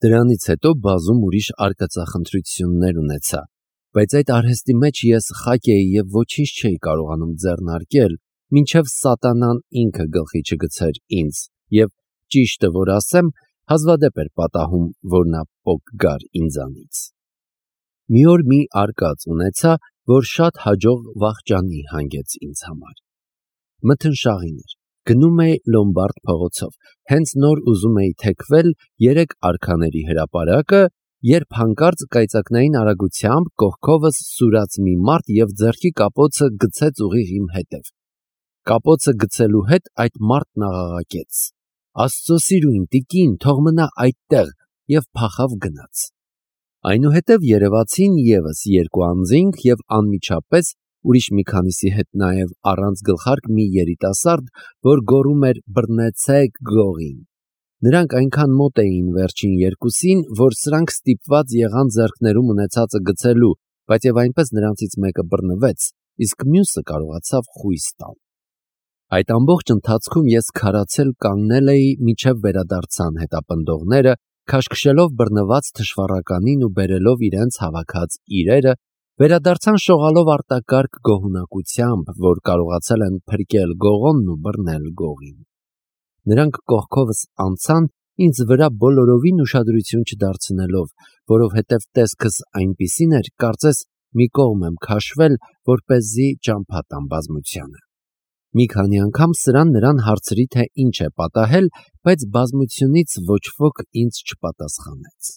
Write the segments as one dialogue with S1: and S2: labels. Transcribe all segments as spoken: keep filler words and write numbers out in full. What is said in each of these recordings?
S1: Դրանից հետո բազում ուրիշ արկածախնդրություններ ունեցա, բայց այդ արհեստի մեջ ես խակ էի և ոչինչ չէի կարողանում ձեռնարկել, մինչև սատանան ինքը գլխի չգցեր ինձ, և, ճիշտը որ ասեմ, հազվադեպ էր պատահում, որ նա պոկ գար ինձանից։ Մի օր մի արկած ունեցա, որ շատ հաջող վախճանի հանգեց ինձ համար։ Մթնշաղին էր, գնում էի Լոմբարդ փողոցով, հենց նոր ուզում էի թեքվել երեք արքաների հրապարակը, երբ հանկարծ կայծակնային արագությամբ կողքովս սուրաց մի մարդ և ձեռքի կապոցը գցեց ուղիղ իմ հետև։ Կապոցը գցելու հետ այդ մարդն աղաղակեց. «Աստծո սիրուն տիկին, թող մնա այդտեղ» և փախավ գնաց։ Այնուհետև երևացին ևս երկու անձինք և անմիջապես ուրիշ մի քանիսի հետ նաև առանց գլխարկ մի երիտասարդ, որ գոռում էր «բռնեցեք գողին»։ Նրանք այնքան մոտ էին վերջին երկուսին, որ սրանք ստիպված եղան ձեռքներում ունեցածը գցելու, բայց և այնպես նրանցից մեկը բռնվեց, իսկ մյուսը կարողացավ խույս տալ։ Այդ ամբողջ ընթացքում ես քարացել կանգնել էի, մինչև վերադարձան հետապնդողները, քաշքշելով բռնված թշվառականին ու բերելով իրենց հավաքած իրերը, վերադարձան շողալով արտակարգ գոհունակությամբ, որ կարողացել են փրկել գողոնն ու բռնել գողին։ Նրանք կողքովս անցան, ինձ վրա բոլորովին ուշադրություն չդարձնելով, որովհետև տեսքս այնպիսին էր, կարծես մի կողմ եմ քաշվել, որպեսզի ճամփա տամ բազմությանը։ Մի քանի անգամ սրան նրան հարցրի, թե ինչ է պատահել, բայց բազմությունից ոչ ոք ինձ չպատասխանեց։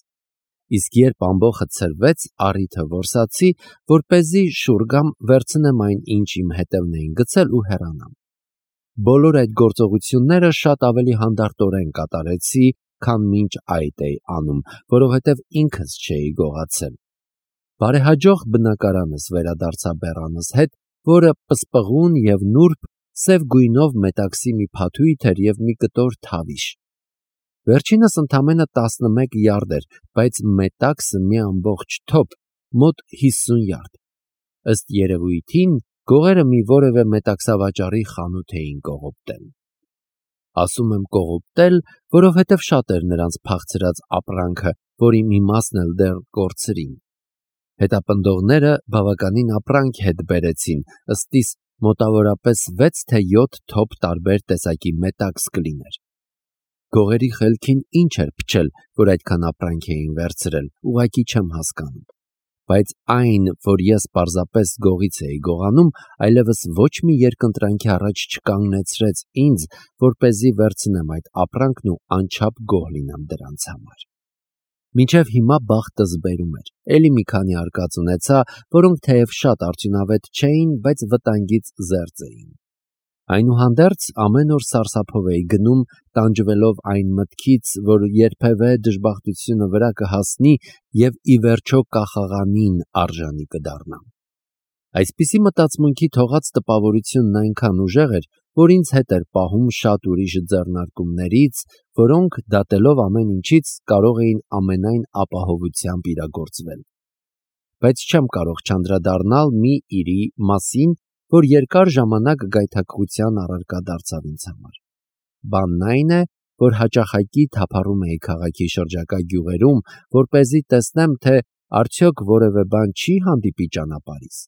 S1: Իսկ երբ ամբոխը ցրվեց, առիթը որսացի, որպեսզի շուռ գամ, վերցնեմ այն, ինչ իմ հետևն էին գցել ու հեռանամ։ Բոլոր այդ գործողությունները շատ ավելի հանդարտորեն կատարեցի, քան մինչ այդ էի անում, որովհետև ինքս չէի գողացել։ Բարեհաջող բնակարանս վերադարձա բեռանս հետ, որը պսպղուն և նուրբ, սև գույնով մետաքսի մի փաթույթ էր և մի կտոր թավիշ։ Վերջինս ընդամենը տասնմեկ յարդ էր, բայց մետաքսը մի ամբողջ թոփ, մոտ հիսուն յարդ։ Ըստ երևույթին, գողերը մի որևէ մետաքսավաճառի խանութ էին կողոպտել։ Ասում եմ կողոպտել, որովհետև շատ էր նրանց փախցրած ապրանքը, որի մի մասն էլ դեռ կորցրին։ Հետապնդողները բավականին ապրանք հետ բերեցին, ըստիս մոտավորապես վեց թե յոթ թոփ տարբեր տեսակի մետաքս կլիներ։ Գողերի խելքին ինչ էր փչել, որ այդքան ապրանք էին վերցրել, ուղղակի չեմ հասկանում։ Բայց այն, որ ես պարզապես գողից էի գողանում, այլևս ոչ մի երկընտրանքի առաջ չկանգնեցրեց ինձ, որպեսզի վերցնեմ այդ ապրանքն ու անչափ գոհ լինեմ դրանց համար։ Մինչև հիմա բախտս բերում էր, էլի մի քանի արկած ունեցա, որոնք թեև շատ արդյունավետ չէին, բայց վտանգից զերծ էին։ Այնուհանդերձ ամեն օր սարսափով էի գնում, տանջվելով այն մտքից, որ երբևէ դժբախտությունը վրա կհասնի և ի վերջո կախաղանին արժանի կդառնամ։ Այսպիսի մտածմունքի թողած տպավորությունն այնքան ուժեղ էր, որ ինձ հետ էր պահում շատ ուրիշ ձեռնարկումներից, որոնք, դատելով ամեն ինչից, կարող էին ամենայն ապահովությամբ իրագործվել։ Բայց չեմ կարող չանդրադառնալ մի իրի մասին, որ երկար ժամանակ գայթակղության առարկա դարձավ ինձ համար։ Բանն այն է, որ հաճախակի թափառում էի քաղաքի շրջակա գյուղերում, որպեսզի տեսնեմ, թե արդյոք որևէ բան չի հանդիպի ճանապարհիս։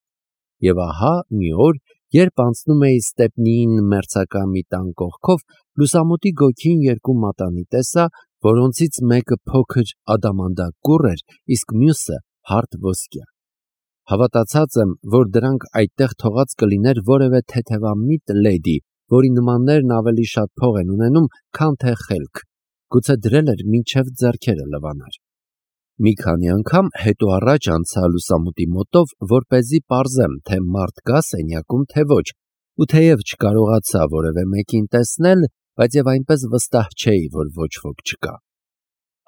S1: Եվ ահա մի օր, երբ անցնում էի Ստեպնիին մերձակա մի տան կողքով, լուսամուտի գոգին երկու մատանի տեսա, որոնցից մեկը փոքր ադամանդակուռ էր, իսկ մյուսը հարթ ոսկյա։ Հավատացած եմ, որ դրանք այդտեղ թողած կլիներ որևէ թեթևամիտ լեդի, որի նմաններն ավելի շատ փող են ունենում, քան թե խելք, գուցե դրել էր մինչև ձեռքերը լվանար։ Մի քանի անգամ հետո առաջ անցա լուսամուտի մոտով, որպեսզի պարզեմ, թե մարդ կա սենյակում, թե ոչ, ու թեև չկարողացա որևէ մեկին տեսնել, բայց և այնպես վստահ չէի, որ ոչ ոք չկա։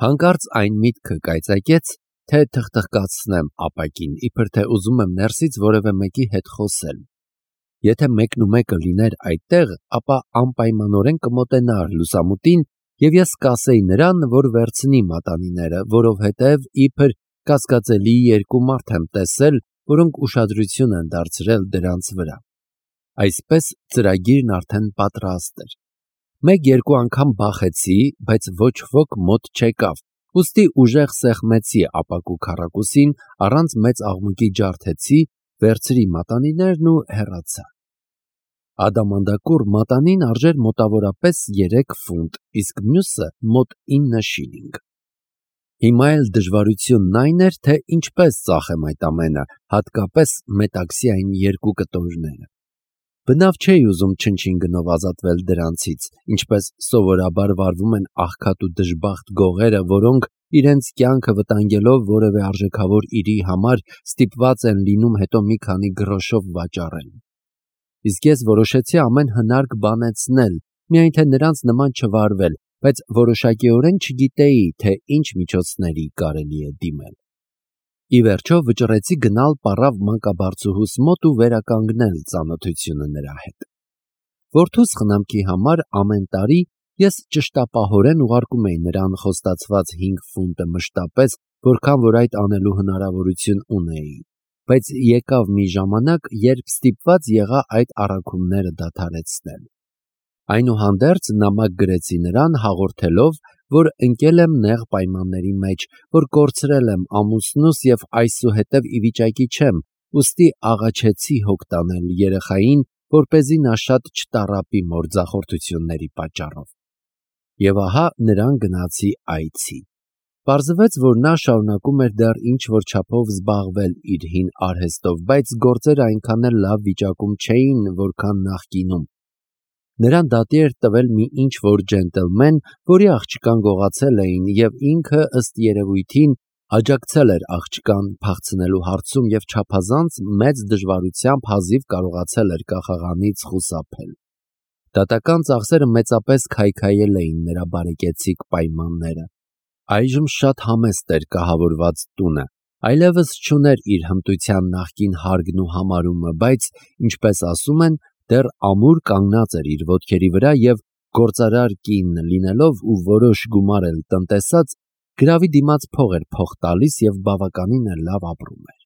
S1: Հանկարծ այն միտքը կայծակեց, թե թխթխկացնեմ ապակին, իբր թե ուզում եմ ներսից որևէ մեկի հետ խոսել։ Եթե մեկն ու մեկը լիներ այդտեղ, ապա անպայմանորեն կմոտենար լուսամուտին, և ես կասեի նրան, որ վերցնի մատանիները, որովհետև իբր կասկածելի երկու մարդ եմ տեսել, որոնք ուշադրություն են դարձրել դրանց վրա։ Այսպես ծրագիրն արդեն պատրաստ էր։ Մեկ-երկու անգամ բախեցի, բայց ոչ ոք մոտ չեկավ, ուստի ուժեղ սեղմեցի ապակու քառակուսին, առանց մեծ աղմուկի ջարդեցի, վերցրի մատանիներն ու հեռացա։ Ադամանդակուռ մատանին արժեր մոտավորապես երեք ֆունտ, իսկ մյուսը մոտ ինը շիլինգ։ Հիմա էլ դժվարությունն այն էր, թե ինչպես ծախեմ այդ ամենը, հատկապես մետաքսի այն երկու կտորները։ Բնավ չէի ուզում չնչին գնով ազատվել դրանցից, ինչպես սովորաբար վարվում են աղքատ ու դժբախտ գողերը, որոնք իրենց կյանքը վտանգելով որևէ արժեքավոր իրի համար ստիպված են լինում հետո մի քանի գրոշով վաճառել։ Իսկ ես որոշեցի ամեն հնարք բանեցնել, միայն թե նրանց նման չվարվել, բայց որոշակիորեն չգիտեի, թե ինչ միջոցների կարելի է դիմել։ Ի վերջո վճռեցի գնալ պառավ մանկաբարձուհուս մոտ ու վերականգնել ծանոթությունը նրա հետ։ Որդուս խնամքի համար ամեն տարի ես ճշտապահորեն ուղարկում էի նրան խոստացված հինգ ֆունտը մշտապես, որքան որ այդ անելու հնարավորություն ունեի, բայց եկավ մի ժամանակ, երբ ստիպված եղա այդ առաքումները դադարեցնել։ Այնուհանդերձ նամակ գրեցի նրան հաղորդելով, որ ընկել եմ նեղ պայմանների մեջ, որ կորցրել եմ ամուսնուս և այսուհետև ի վիճակի չեմ, ուստի աղաչեցի հոգ տանել երեխային, որպեսզի նա շատ չտառապի մորձախորթությունների պատճառով։ Եվ ահա նրան գնացի այցի։ Պարզվեց, որ նա շարունակում էր դեռ ինչ-որ չափով զբաղվել իր հին արհեստով, բայց գործերը այնքան էլ լավ վիճակում չէին, որքան նախկինում։ Նրան դատի էր տվել մի ինչ-որ ջենտլմեն, որի աղջկան գողացել էին, և ինքը ըստ երևույթին աջակցել էր աղջկան փախցնելու հարցում և չափազանց մեծ դժվարությամբ հազիվ կարողացել էր կախաղանից խուսափել։ Դատական ծախսերը մեծապես քայքայել էին նրա բարեկեցիկ պայմանները։ Այժմ շատ համեստ էր կահավորված տունը, այլևս չուներ իր հմտության նախկին հարգն ու համարումը, բայց, ինչպես ասում են, դեռ ամուր կանգնած էր իր ոտքերի վրա և գործարար կին լինելով ու որոշ գումար էլ տնտեսած, գրավի դիմաց փող էր փոխ տալիս և բավականին էլ լավ ապրում էր։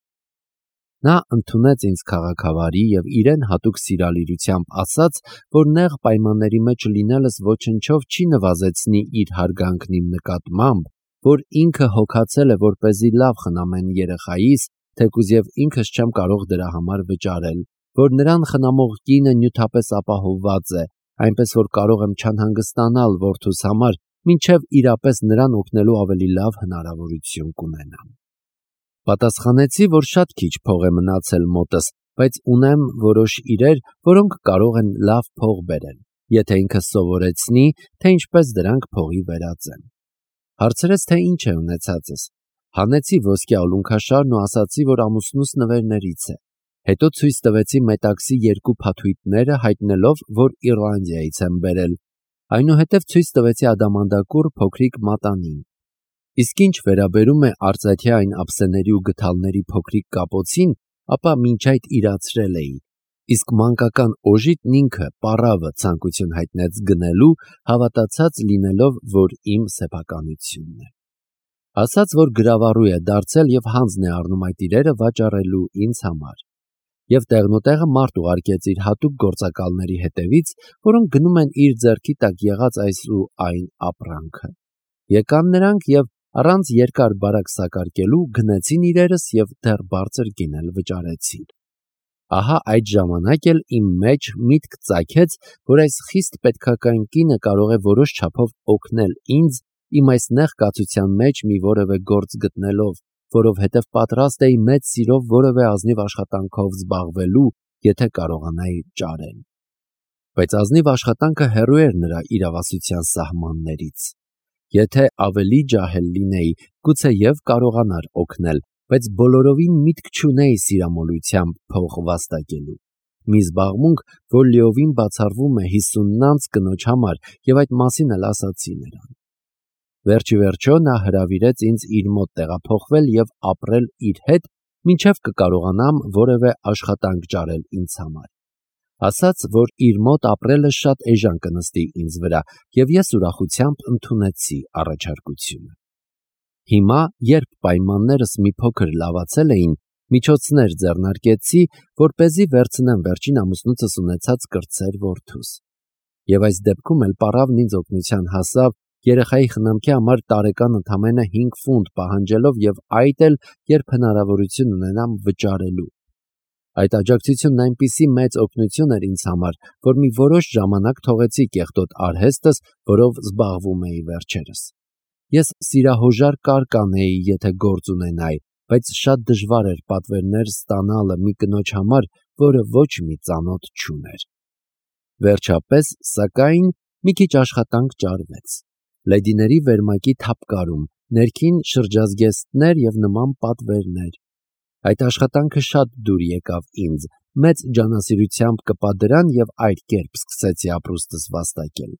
S1: Նա ընդունեց ինձ քաղաքավարի և իրեն հատուկ սիրալիրությամբ ասաց, որ նեղ պայմանների մեջ լինելս ոչնչով չի նվազեցնի իր հարգանքն իմ նկատմամբ, որ ինքը հոգացել է, որպեսզի լավ խնամեն երեխայիս, թեկուզ և ինքս չեմ կարող դրա համար վճարել, որ նրան խնամող կինը նյութապես ապահովված է, այնպես որ կարող եմ չանհանգստանալ որդուս համար, մինչև իրապես նրան օգնելու ավելի լավ հնարավորություն կունենամ։ Պատասխանեցի, որ շատ քիչ փող է մնացել մոտս, բայց ունեմ որոշ իրեր, որոնք կարող են լավ փող բերել, եթե ինքը սովորեցնի, թե ինչպես դրանք փողի վերածեմ։ Հարցրեց, թե ինչ է ունեցածս։ Հանեցի ոսկյա ուլունքաշարն ու ասացի, որ ամուսնուս նվերներից է։ Հետո ցույց տվեցի մետաքսի երկու փաթույթները, հայտնելով, որ Իռլանդիայից եմ բերել։ Այնուհետև ցույց տվեցի ադամանդակուռ փոքրիկ մատանին։ Իսկ ինչ վերաբերում է արծաթյա այն ափսեների ու գդալների փոքրիկ կապոցին, ապա մինչ այդ իրացրել էի, իսկ մանկական օժիտն ինքը պառավը ցանկություն հայտնեց գնելու, հավատացած լինելով, որ իմ սեփականությունն է։ Ասաց, որ գրավառու է դարձել և հանձն է առնում այդ իրերը վաճառելու ինձ համար։ Եվ տեղնուտեղը մարդ ուղարկեց իր հատուկ գործակալների հետևից, որոնք գնում են իր ձեռքի տակ եղած այս ու այն ապրանքը։ Եկան նրանք և առանց երկար բարակ սակարկելու գնեցին իրերս և դեռ բարձր գին էլ վճարեցին։ Ահա այդ ժամանակ էլ իմ մեջ միտք ծագեց, որ այս խիստ պետքական կինը կարող է որոշ չափով օգնել ինձ իմ այս նեղ կացության մեջ մի որևէ գործ գտնելով, որովհետև պատրաստ էի մեծ սիրով որևէ ազնիվ աշխատանքով զբաղվելու, եթե կարողանայի ճարել։ Բայց ազնիվ աշխատանքը հեռու էր նրա իրավասության սահմաններից։ Եթե ավելի ջահել լինեի, գուցեև կարողանար օգնել, բայց բոլորովին միտք չունեի սիրամոլությամբ փող վաստակելու։ Մի զբաղմունք, որ լիովին բացառվում է հիսունն անց կնոջ համար, և այդ մասին էլ ասացի նրան։ Վերջի վերջո նա հրավիրեց ինձ իր մոտ տեղափոխվել և ապրել իր հետ, մինչև կկարողանամ որևէ աշխատանք ճարել ինձ համար։ Ասաց, որ իր մոտ ապրելը շատ էժան կնստի ինձ վրա, և ես ուրախությամբ ընդունեցի առաջարկությունը։ Հիմա, երբ պայմաններս մի փոքր լավացել էին, միջոցներ ձեռնարկեցի, որպեսզի վերցնեմ վերջին ամուսնուցս ունեցած կրտսեր որդուս։ Եվ այս դեպքում էլ պառավն ինձ օգնության հասավ, երեխայի խնամքի համար տարեկան ընդամենը հինգ ֆունտ պահանջելով եւ այդ էլ երբ հնարավորություն ունենամ վճարելու։ Այդ աջակցությունն այնպիսի մեծ օգնություն էր ինձ համար, որ մի որոշ ժամանակ թողեցի կեղտոտ արհեստս, որով զբաղվում էի վերջերս։ Ես սիրահոժար կար կանեի, եթե գործ ունենայի, բայց շատ դժվար էր պատվերներ ստանալը մի կնոջ համար, որը ոչ մի ծանոթ չուներ։ Վերջապես, սակայն, մի քիչ աշխատանք ճարվեց։ Լեդիների վերմակի թափկարում, ներքին շրջազգեստներ եւ նման պատվերներ։ Այդ աշխատանքը շատ դուր եկավ ինձ, մեծ ջանասիրությամբ կպա դրան եւ այդ կերպ սկսեցի ապրուստս վաստակել։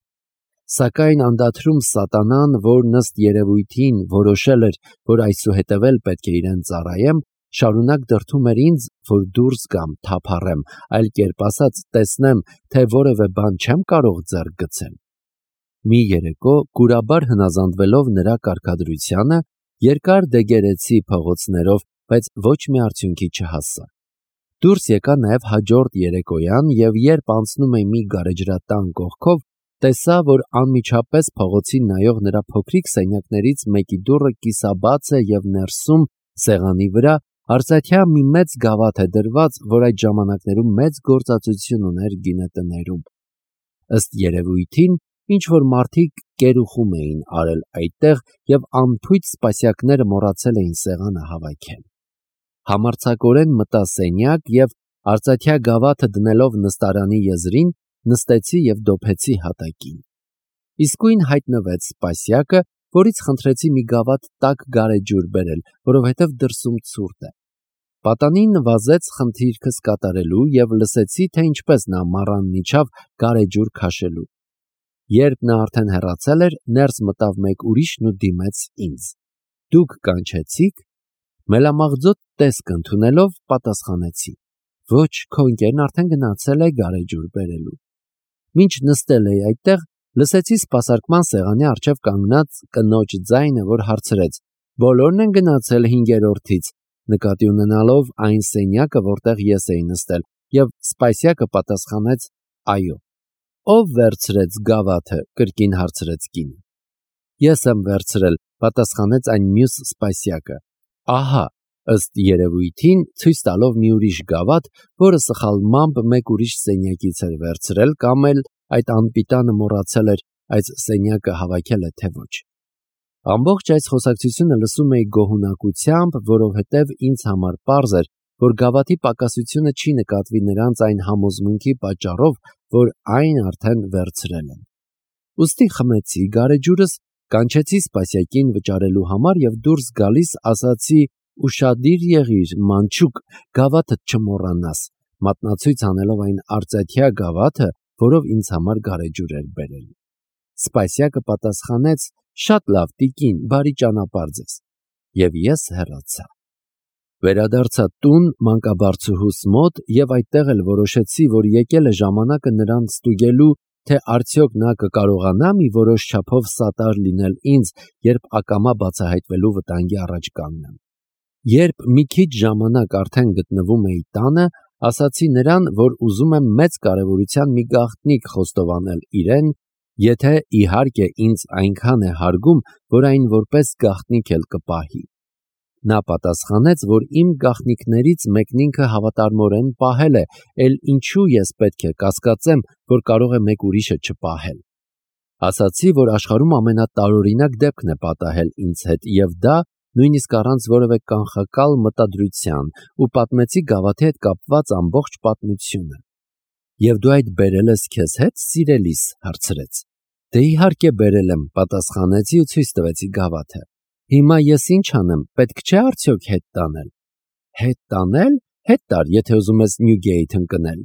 S1: Սակայն անդադրում սատանան, որ ըստ երևույթին որոշել էր, որ այսուհետև էլ պետք է իրեն ծառայեմ, շարունակ դրդում էր ինձ, որ դուրս գամ, թափառեմ, այլ կերպ ասած, տեսնեմ, թե որևէ բան չեմ կարող ձեռք գցել։ Մի երեկո, կուրաբար հնազանդվելով նրա կարգադրությանը, երկար դեգերեցի փողոցներով, բայց ոչ մի արդյունքի չհասա։ Դուրս եկա նաև հաջորդ երեկոյան եւ երբ անցնում էի մի գարեջրատան կողքով, տեսա, որ անմիջապես փողոցին նայող նրա փոքրիկ սենյակներից մեկի դուռը կիսաբաց է եւ ներսում սեղանի վրա արծաթյա մի մեծ գավաթ է դրված, որ այդ ժամանակներում մեծ գործածություն ուներ գինետներում։ Ըստ երևույթին, ինչ որ մարդիկ կերուխում էին արել այդտեղ եւ անփույթ սպասյակները մոռացել էին սեղանը հավաքել։ Համարձակորեն մտա սենյակ եւ արծաթյա գավաթը դնելով նստարանի եզրին, նստեցի եւ դոփեցի հատակին։ Իսկույն հայտնվեց սպասյակը, որից խնդրեցի մի գավաթ տաք գարեջուր բերել, որովհետեւ դրսում ցուրտ է։ Պատանին նվազեց խնդիրքս կատարելու եւ լսեցի, թե ինչպես նա մառանն իջավ գարեջուր քաշելու։ Երբ նա արդեն հեռացել էր, ներս մտավ մեկ ուրիշն ու դիմեց ինձ։ Դուք կանչեցիք։ Մելամաղձոտ տեսք ընդունելով պատասխանեցի. Ոչ, քո ընկերն արդեն գնացել է գարեջուր բերելու։ Մինչ նստել էի այդտեղ, լսեցի սպասարկման սեղանի առջև կանգնած կնոջ ձայնը, որ հարցրեց. Բոլորն են գնացել հինգերորդից, նկատի ունենալով այն սենյակը, որտեղ ես էի նստել, եւ սպասյակը պատասխանեց. Այո։ Ով վերցրեց գավաթը, կրկին հարցրեց կինը։ Ես եմ վերցրել, պատասխանեց այն մյուս սպասյակը։ Ահա, ըստ երևույթին, ցույց տալով մի ուրիշ գավաթ, որը սխալմամբ մեկ ուրիշ սենյակից էր վերցրել, կամ էլ այդ անպիտանը մոռացել էր այս սենյակը հավաքել է թե ոչ։ Ամբողջ այս խոսակցությունը լսում էի գոհունակությամբ, որովհետև ինձ համար պարզ էր, որ գավաթի պակասությունը չի նկատվի նրանց այն համոզմունքի պատճառով, որ այն արդեն վերցրել են։ Ուստի խմեցի գարեջուրս, կանչեցի սպասյակին վճարելու համար եւ դուրս գալիս ասացի. Ուշադիր եղիր, մանչուկ, գավաթը չմոռանաս, մատնացույց անելով այն արծաթյա գավաթը, որով ինձ համար գարեջուր էր բերել։ Սպասյակը պատասխանեց. Շատ լավ, տիկին, բարի ճանապարհ ձեզ։ Եվ ես հեռացա։ Վերադարձա տուն մանկաբարձուհուս մոտ եւ այդտեղ էլ որոշեցի, որ եկել է ժամանակը նրան ստուգելու, թե արդյոք նա կկարողանա մի որոշ չափով սատար լինել ինձ, երբ ակամա բացահայտվելու վտանգի առաջ կանգնեմ։ Երբ մի քիչ ժամանակ արդեն գտնվում էի տանը, ասացի նրան, որ ուզում եմ մեծ կարևորության մի գաղտնիք խոստովանել իրեն, եթե իհարկե ինձ այնքան է հարգում, որ այն որպես գաղտնիք էլ կպահի։ Նա պատասխանեց, որ իմ գաղտնիքներից մեկն ինքը հավատարմորեն պահել է, էլ ինչու ես պետք է կասկածեմ, որ կարող է մեկ ուրիշը չպահել։ Ասացի, որ աշխարհում ամենատարօրինակ դեպքն է պատահել ինձ հետ, եւ դա նույնիսկ առանց որևէ կանխակալ մտադրության, ու պատմեցի գավաթի հետ կապված ամբողջ պատմությունը։ Եվ դու այդ բերել ես քեզ հետ, սիրելիս, հարցրեց։ Դե իհարկե բերել եմ, պատասխանեցի ու ցույց տվեցի գավաթը։ Հիմա ես ինչ անեմ, պետք չէ արդյոք հետ տանել։ Հետ տանել, հետ տար, եթե ուզում ես Նյուգեյթ ընկնել։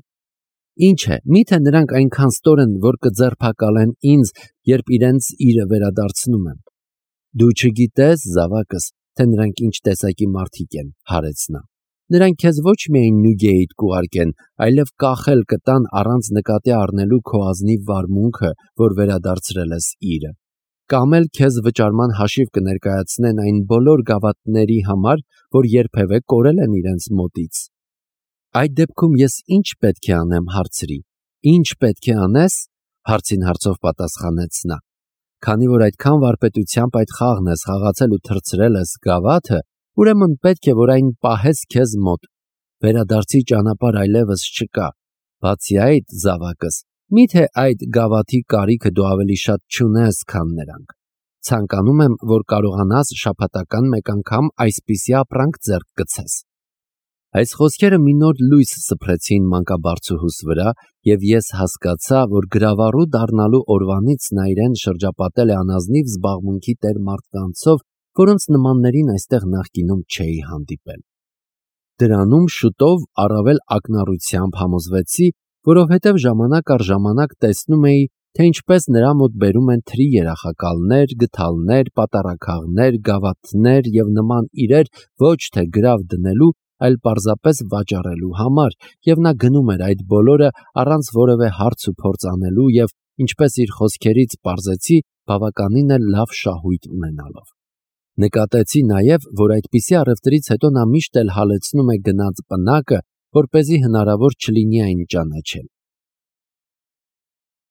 S1: Ինչ է, միթե նրանք այնքան ստոր են, որ կձերբակալեն ինձ, երբ իրենց իրը վերադարձնում եմ։ Դու չգիտես, զավակս, թե նրանք ինչ տեսակի մարդիկ են, հարեց նա։ Նրանք քեզ ոչ միայն Նյուգեյթ կուղարկեն, այլև կախել կտան առանց նկատի առնելու քո ազնիվ վարմունքը, որ վերադարձրել ես իրը։ Կամ էլ քեզ վճարման հաշիվ կներկայացնեն այն բոլոր գավաթների համար, որ երբևէ կորել են իրենց մոտից։ Այդ դեպքում ես ինչ պետք է անեմ, հարցրի։ Ինչ պետք է անես, հարցին հարցով պատասխանեց նա։ Քանի որ այդքան վարպետությամբ այդ խաղն ես խաղացել ու թռցրել ես գավաթը, ուրեմն պետք է որ այն պահես քեզ մոտ։ Վերադարձի ճանապարհ այլևս չկա։ Բացի այդ, զավակս, միթե այդ գավաթի կարիքը դու ավելի շատ չունես, քան նրանք։ Ցանկանում եմ, որ կարողանաս շաբաթական մեկ անգամ այսպիսի ապրանք ձեռք գցես։ Այս խոսքերը մի նոր լույս սփռեցին մանկաբարձուհուս վրա, եւ ես հասկացա, որ գրավառու դառնալու օրվանից նա իրեն շրջապատել է անազնիվ զբաղմունքի տեր մարդկանցով, որոնց նմաններին այստեղ նախկինում չէի հանդիպել։ Դրանում շուտով առավել ակնառությամբ համոզվեցի, որովհետև ժամանակ առ ժամանակ տեսնում էի, թե ինչպես նրա մոտ բերում են թրի երախակալներ, գդալներ, պատառաքաղներ, գավաթներ եւ նման իրեր ոչ թե գրավ դնելու, այլ պարզապես վաճառելու համար, եւ նա գնում էր այդ բոլորը առանց որևէ հարց ու փորձ անելու եւ, ինչպես իր խոսքերից պարզեցի, բավականին էլ լավ շահույթ ունենալով։ Նկատեցի նաեւ, որ այդպիսի առևտրից հետո նա միշտ էլ հալեցնում է գնած պնակը, որպեսզի հնարավոր չլինի այն ճանաչել։